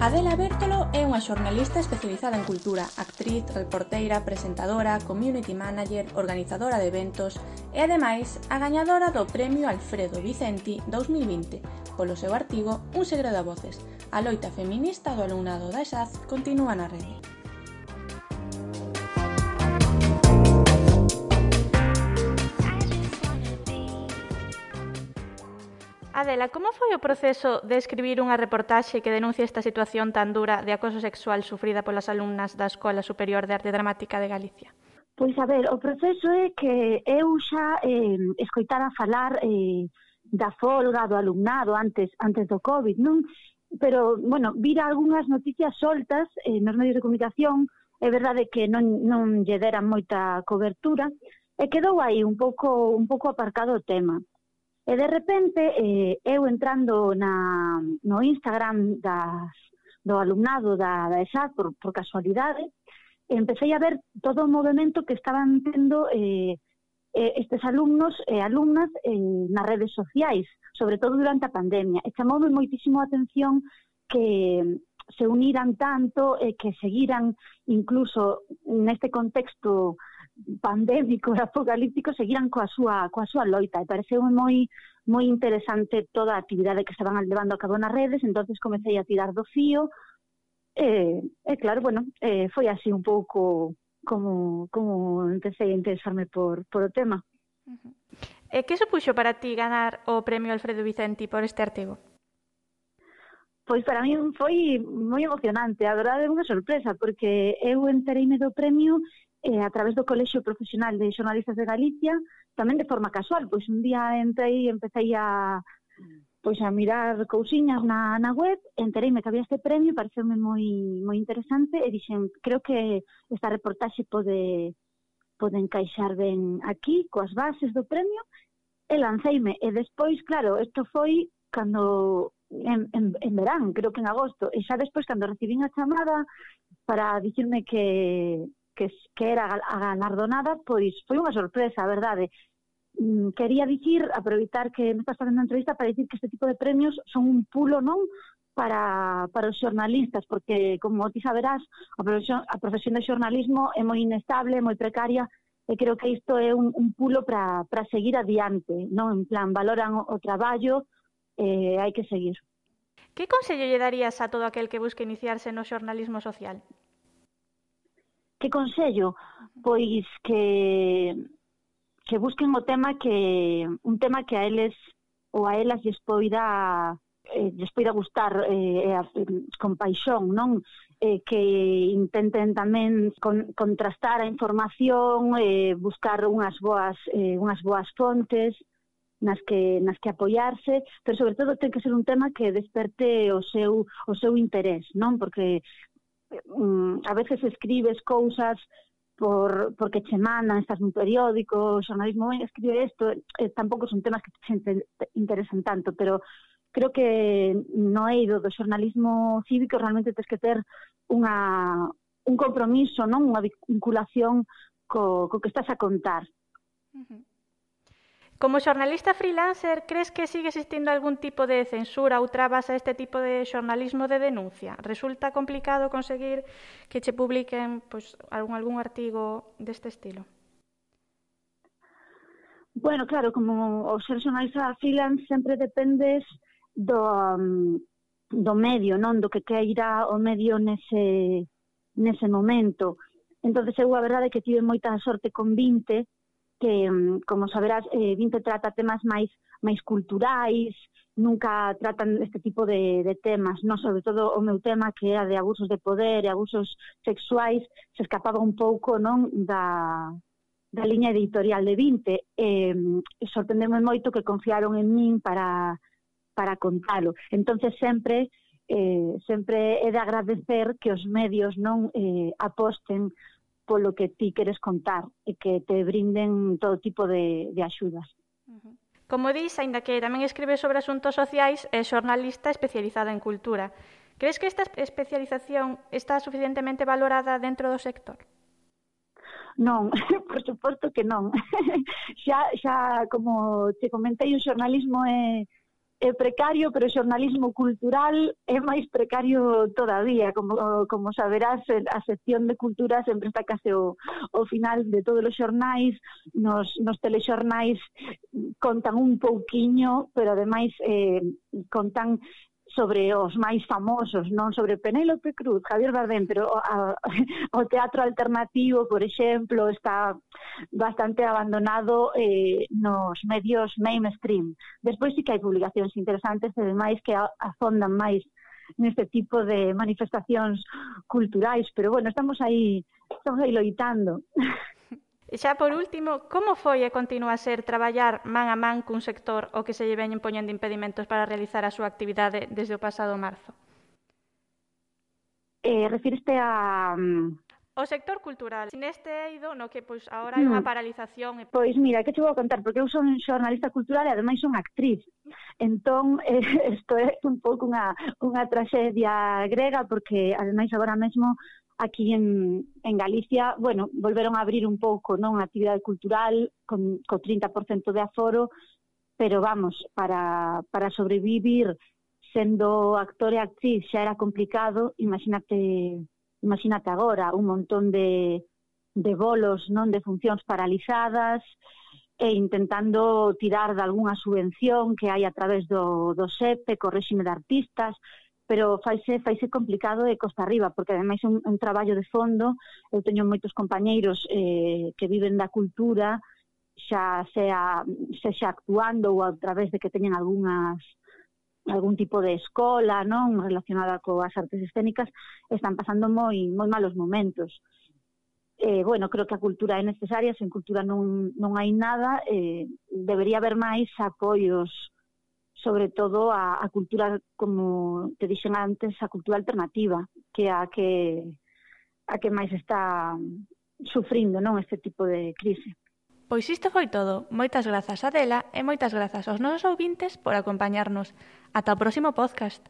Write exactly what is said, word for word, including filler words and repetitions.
Adela Bértolo é unha xornalista especializada en cultura, actriz, reporteira, presentadora, community manager, organizadora de eventos e, ademais, a gañadora do Premio Alfredo Vicenti dous mil vinte polo seu artigo Un segredo a voces. A loita feminista do alumnado da E S A D continúa na rede. Adela, como foi o proceso de escribir unha reportaxe que denuncia esta situación tan dura de acoso sexual sufrida polas alumnas da Escola Superior de Arte Dramática de Galicia? Pois, a ver, o proceso é que eu xa eh, escoitara falar eh, da folga do alumnado antes antes do COVID, non? Pero, bueno, vira algunhas noticias soltas eh, nos medios de comunicación, é verdade que non, non lle deran moita cobertura, e quedou aí un pouco, un pouco aparcado o tema. E de repente, eh, eu entrando na, no Instagram das, do alumnado da, da E S A D, por, por casualidade, empecé a ver todo o movimento que estaban tendo eh, estes alumnos e alumnas eh, nas redes sociais, sobre todo durante a pandemia. E chamoume moitísimo a atención que se uniran tanto e que seguiran incluso neste contexto pandémico e apocalíptico, seguiran coa súa, coa súa loita. E pareceu moi moi interesante toda a actividade que estaban levando a cabo nas redes, entonces comecei a tirar do fío, e, e claro, bueno, eh, foi así un pouco como, como empecé a interesarme por, por o tema. Uh-huh. E que supuxo para ti ganar o Premio Alfredo Vicenti por este artigo? Pois para mí foi moi emocionante, a verdade é unha sorpresa, porque eu entereime do premio eh, a través do Colexio Profesional de Xornalistas de Galicia, tamén de forma casual, pois un día entrei e empecé a, pois a mirar cousiñas na, na web, entereime que había este premio, pareceume moi moi interesante e dixen, creo que esta reportaxe pode, pode encaixar ben aquí, coas bases do premio, e lanceime, e despois, claro, isto foi cando en, en, en verán, creo que en agosto, e xa despois cando recibín a chamada para dicirme que Que, que era a galardonada, pois foi unha sorpresa, a verdade. Quería dicir, aproveitar que me estás facendo a entrevista para dicir que este tipo de premios son un pulo, non, para, para os xornalistas, porque, como ti saberás, a profesión, a profesión de xornalismo é moi inestable, moi precaria, e creo que isto é un, un pulo para, para seguir adiante, non? En plan, valoran o, o traballo, e eh, hai que seguir. Que consello lle darías a todo aquel que busque iniciarse no xornalismo social? Que consello? Pois que que busquen o tema que un tema que a eles ou a elas lles poida eh, lles poida gustar eh, con paixón, non? Eh, que intenten tamén con, contrastar a información, eh, buscar unhas boas eh, unhas boas fontes nas que nas que apoiarse, pero sobre todo ten que ser un tema que desperte o seu o seu interés, non? Porque a veces escribes cousas por porque che mandan, estás nun periódico, o xornalismo escribe isto, eh, tampouco son temas que te interesan tanto, pero creo que no eido do xornalismo cívico realmente tens que ter unha, un compromiso, non, unha vinculación co, co que estás a contar. Uh-huh. Como xornalista freelancer, crees que sigue existindo algún tipo de censura ou trabas a este tipo de xornalismo de denuncia? Resulta complicado conseguir que che publiquen pois, algún, algún artigo deste estilo? Bueno, claro, como o ser xornalista freelance sempre dependes do, um, do medio, non? Do que queira o medio nese, nese momento. Entón, eu a verdade é que tive moita sorte con vinte, que, como saberás, eh, vinte trata temas máis máis culturais, nunca tratan este tipo de, de temas, non? Sobre todo o meu tema, que era de abusos de poder e abusos sexuais, se escapaba un pouco, non, da, da liña editorial de vinte. E, e sorprendeme moito que confiaron en min para, para contalo. Entonces sempre eh, sempre é de agradecer que os medios non eh, aposten polo que ti queres contar e que te brinden todo tipo de, de axudas. Uh-huh. Como dis, aínda que tamén escribes sobre asuntos sociais, é xornalista especializada en cultura. Crees que esta especialización está suficientemente valorada dentro do sector? Non, por suposto que non. xa, xa, como te comentei, o xornalismo é, é precario, pero o xornalismo cultural é máis precario todavía. Como, como saberás, a sección de cultura sempre está case o, o final de todos os xornais. Nos, nos telexornais contan un pouquiño, pero ademais eh, contan sobre os máis famosos, non sobre Penélope Cruz, Javier Bardem, pero a, o teatro alternativo, por exemplo, está bastante abandonado eh, nos medios mainstream. Despois sí que hai publicacións interesantes e demais que afondan máis neste tipo de manifestacións culturais, pero bueno, estamos aí, estamos aí loitando. E xa por último, como foi e continúa a ser traballar man a man cun sector o que se lle veñen poñendo impedimentos para realizar a súa actividade desde o pasado marzo? Eh, refiriste a... O sector cultural. Neste eido, no que pois agora hai unha paralización. E... Pois mira, que che vou contar, porque eu son xornalista cultural e ademais son actriz. Entón, eh, isto é un pouco unha, unha traxedia grega, porque ademais agora mesmo aquí en, en Galicia, bueno, volveron a abrir un pouco, non, a actividade cultural con, con trinta por cento de aforo, pero vamos, para, para sobrevivir sendo actor e actriz xa era complicado, imagínate, imagínate agora, un montón de, de bolos, non, de funcións paralizadas, e intentando tirar de algunha subvención que hai a través do, do S E P E, co réxime de artistas, pero faise, faise complicado e costa arriba, porque ademais é un, un traballo de fondo. Eu teño moitos compañeiros eh, que viven da cultura, xa sea, xa actuando ou a través de que teñen algunhas algún tipo de escola, non, relacionada coas artes escénicas, están pasando moi moi malos momentos. Eh, bueno, creo que a cultura é necesaria, sen cultura non, non hai nada, eh, debería haber máis apoios, sobre todo a, a cultura, como te dixen antes, a cultura alternativa, que é a que a que máis está sufrindo, non, este tipo de crise. Pois isto foi todo. Moitas grazas a Adela e moitas grazas aos nosos ouvintes por acompañarnos. Ata o próximo podcast.